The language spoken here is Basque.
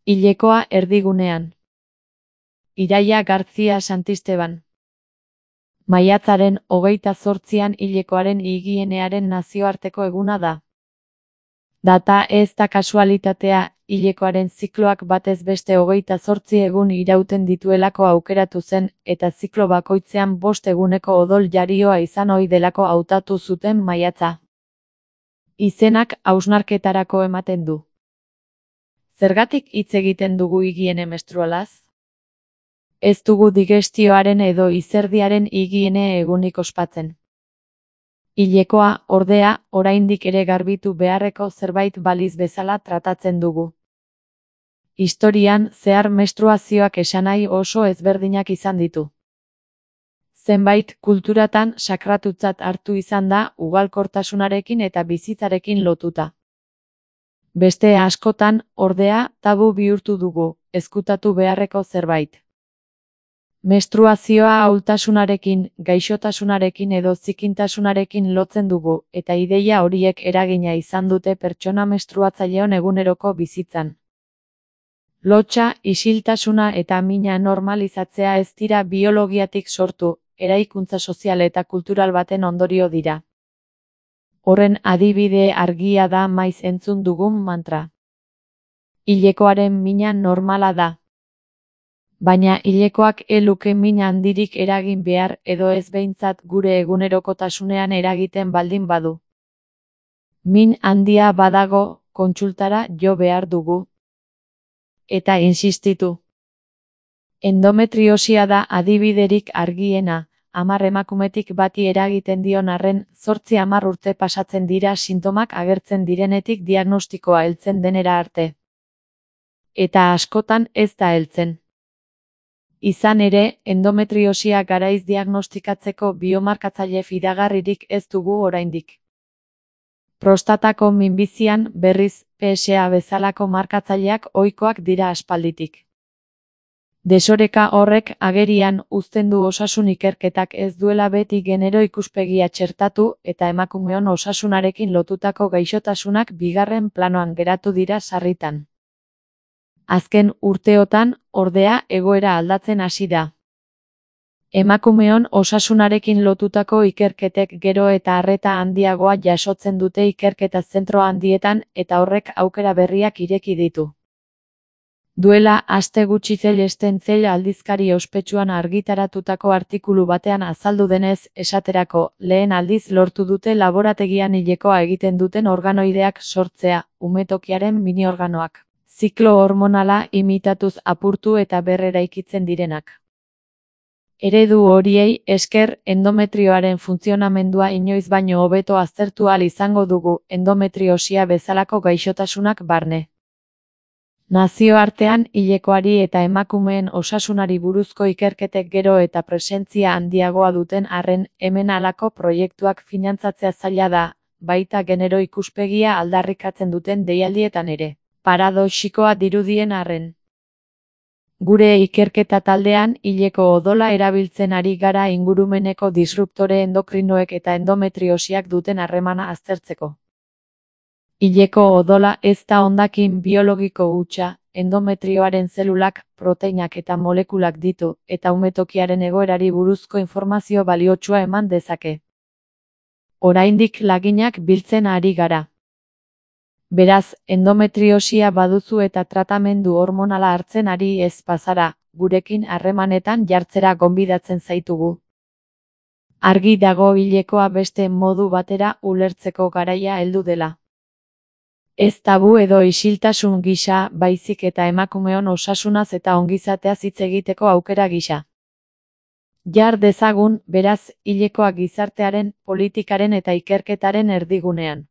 Hilekoa erdigunean. Iraia Gartzia Santisteban. Maiatzaren 28an hilekoaren higienearen nazioarteko eguna da. Data ez da kasualitatea, hilekoaren zikloak batez beste 28 egun irauten dituelako aukeratu zen, eta ziklo bakoitzean 5 eguneko odol jarioa izan ohi delako hautatu zuten maiatza. Izenak hausnarketarako ematen du. Zergatik hitz egiten dugu higiene menstrualaz? Ez dugu digestioaren edo izerdiaren higiene egunik ospatzen. Hilekoa, ordea, oraindik ere garbitu beharreko zerbait baliz bezala tratatzen dugu. Historian zehar menstruazioak esanahi oso ezberdinak izan ditu. Zenbait kulturatan sakratutzat hartu izan da ugalkortasunarekin eta bizitzarekin lotuta. Beste askotan, ordea, tabu bihurtu dugu, ezkutatu beharreko zerbait. Menstruazioa ahultasunarekin, gaixotasunarekin edo zikintasunarekin lotzen dugu, eta ideia horiek eragina izan dute pertsona menstruatzaileon eguneroko bizitzan. Lotsa, isiltasuna eta mina normalizatzea ez dira biologiatik sortu, eraikuntza sozial eta kultural baten ondorio dira. Horren adibide argia da maiz entzun dugun mantra. Hilekoaren mina normala da. Baina hilekoak luke min handirik eragin behar edo ez behintzat gure egunerokotasunean eragiten baldin badu. Min handia badago, kontsultara jo behar dugu. Eta insistitu. Endometriosia da adibiderik argiena, 10 emakumetik bati eragiten dion arren, 8-10 urte pasatzen dira sintomak agertzen direnetik diagnostikoa heltzen denera arte. Eta askotan ez da heltzen. Izan ere, endometriosia garaiz diagnostikatzeko biomarkatzaile fidagarririk ez dugu oraindik. Prostatako minbizian, berriz, PSA bezalako markatzaileak ohikoak dira aspalditik. Desoreka horrek agerian uzten du osasun ikerketak ez duela beti genero ikuspegia txertatu eta emakumeon osasunarekin lotutako gaixotasunak bigarren planoan geratu dira sarritan. Azken urteotan, ordea, egoera aldatzen hasi da. Emakumeon osasunarekin lotutako ikerketek gero eta arreta handiagoa jasotzen dute ikerketa zentro handietan eta horrek aukera berriak ireki ditu. Duela aste gutxi Cellesten Cell aldizkari ospetsuan argitaratutako artikulu batean azaldu denez, esaterako, lehen aldiz lortu dute laborategian hilekoa egiten duten organoideak sortzea, umetokiaren mini-organoak. Ziklo hormonala imitatuz apurtu eta berreraikitzen direnak. Eredu horiei esker endometrioaren funtzionamendua inoiz baino hobeto aztertu ahal izango dugu endometriosia bezalako gaixotasunak barne. Nazioartean hilekoari eta emakumeen osasunari buruzko ikerketek gero eta presentzia handiagoa duten arren hemen halako proiektuak finantzatzea zaila da, baita genero ikuspegia aldarrikatzen duten deialdietan ere. Paradoxikoa dirudien arren. Gure ikerketa taldean hileko odola erabiltzen ari gara ingurumeneko disruptore endokrinoek eta endometriosiak duten harremana aztertzeko. Hileko odola ez da hondakin biologiko hutsa, endometrioaren zelulak, proteinak eta molekulak ditu, eta umetokiaren egoerari buruzko informazio baliotsua eman dezake. Oraindik laginak biltzen ari gara. Beraz, endometriosia baduzu eta tratamendu hormonala hartzen ari ez bazara, gurekin harremanetan jartzera gonbidatzen zaitugu. Argi dago hilekoa beste modu batera ulertzeko garaia heldu dela. Ez tabu edo isiltasun gisa, baizik eta emakumeon osasunaz eta ongizateaz hitz egiteko aukera gisa. Jar dezagun, beraz, hilekoa gizartearen, politikaren eta ikerketaren erdigunean.